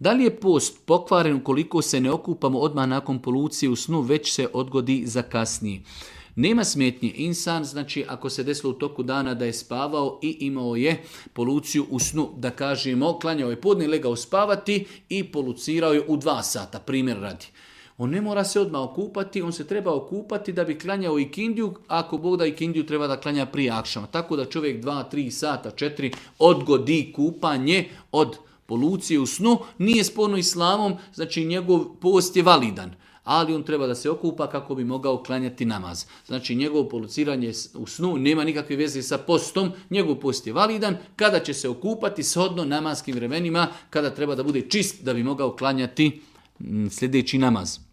Da li je post pokvaren ukoliko se ne okupamo odmah nakon polucije u snu, već se odgodi za kasnije? Nema smetnje. Insan, znači ako se desilo u toku dana da je spavao i imao je poluciju u snu, da kažemo, klanjao je podne, legao spavati i polucirao je u 2 sata, primjer radi. On ne mora se odmah okupati, on se treba okupati da bi klanjao ikindiju, ako Bog da ikindiju treba da klanja prije akšama. Tako da čovjek 2, 3 sata, 4 odgodi kupanje od polucije u snu, nije sporno islamom, znači njegov post je validan. Ali on treba da se okupa kako bi mogao klanjati namaz. Znači njegovo poluciranje u snu nema nikakve veze sa postom, njegov post je validan, kada će se okupati shodno namatskim vremenima, kada treba da bude čist da bi mogao klanjati sljedeći namaz.